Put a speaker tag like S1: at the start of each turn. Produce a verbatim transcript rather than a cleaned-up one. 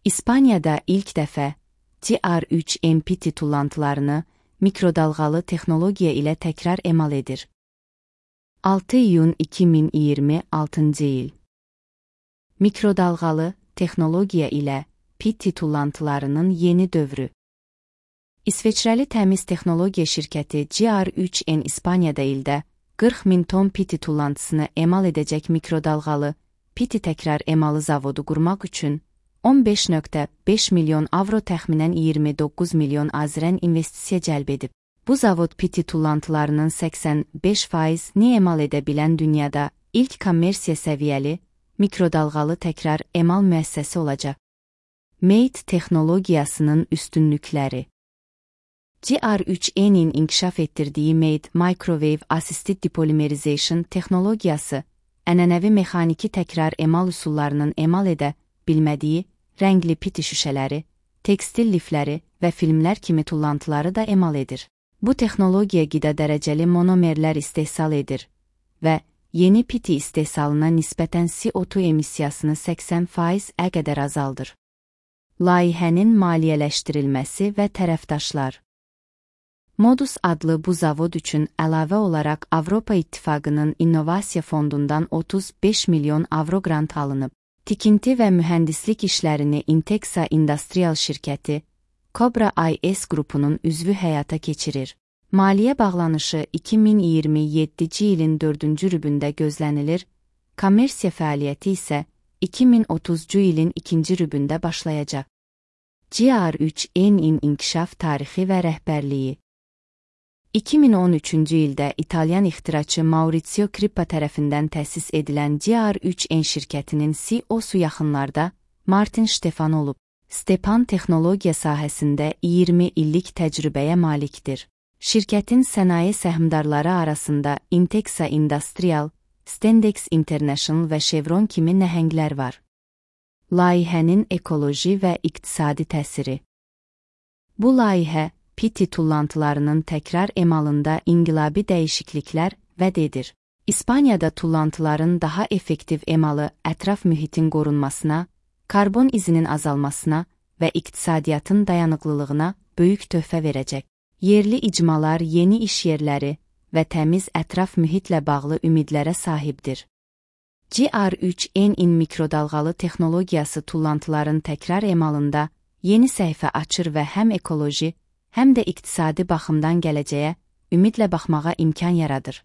S1: İspaniyada ilk dəfə G R üç N P T tullantılarını mikrodalğalı texnologiya ilə təkrar emal edir. altı iyun iki min iyirmi altıncı il. Mikrodalğalı texnologiya ilə P T tullantılarının yeni dövrü. İsveçrəli təmiz texnologiya şirkəti G R üç N İspaniyada ildə qırx min ton P T tullantısını emal edəcək mikrodalğalı P T təkrar emalı zavodu qurmaq üçün on beş nöqtə beş milyon avro təxminən iyirmi doqquz milyon azərən investisiya cəlb edib. Bu zavod P T tullantılarının səksən beş faizini emal edə bilən dünyada ilk kommersiya səviyyəli mikrodalğalı təkrar emal müəssisəsi olacaq. Made texnologiyasının üstünlükləri. G R üç N'in inkişaf etdirdiyi Made Microwave Assisted Depolymerization texnologiyası, ənənəvi mexaniki təkrar emal üsullarının emal edə bilmədiyi rəngli P T şüşələri, tekstil lifləri və filmlər kimi tullantıları da emal edir. Bu texnologiya qida dərəcəli monomerlər istehsal edir və yeni P T istehsalına nisbətən C O iki emissiyasını səksən faizə qədər azaldır. Layihənin maliyyələşdirilməsi və tərəfdaşlar. Modus adlı bu zavod üçün əlavə olaraq Avropa İttifaqının İnnovasiya Fondundan otuz beş milyon avro qrant alınıb. Tikinti və mühəndislik işlərini Intexa Industrial şirkəti, Cobra I S qrupunun üzvü həyata keçirir. Maliyyə bağlanışı iki min iyirmi yeddinci ilin dördüncü rübündə gözlənilir, kommersiya fəaliyyəti isə iki min otuzuncu ilin ikinci rübündə başlayacaq. G R üç N'in inkişaf tarixi və rəhbərliyi. iki min on üçüncü ildə İtalyan ixtiraçı Maurizio Crippa tərəfindən təsis edilən G R üç N şirkətinin C E O-su yaxınlarda Martin Stefan olub. Stepan texnologiya sahəsində iyirmi illik təcrübəyə malikdir. Şirkətin sənaye səhmdarları arasında Intexa Industrial, Stendex International və Chevron kimi nəhənglər var. Layihənin ekoloji və iqtisadi təsiri. Bu layihə, P T tullantılarının təkrar emalında inqilabi dəyişikliklər vəd edir. İspaniyada tullantıların daha effektiv emalı ətraf mühitin qorunmasına, karbon izinin azalmasına və iqtisadiyyatın dayanıqlılığına böyük töhfə verəcək. Yerli icmalar yeni iş yerləri və təmiz ətraf mühitlə bağlı ümidlərə sahibdir. G R üç N'in mikrodalğalı texnologiyası tullantıların təkrar emalında yeni səhifə açır və həm ekoloji, həm də iqtisadi baxımdan gələcəyə ümidlə baxmağa imkan yaradır.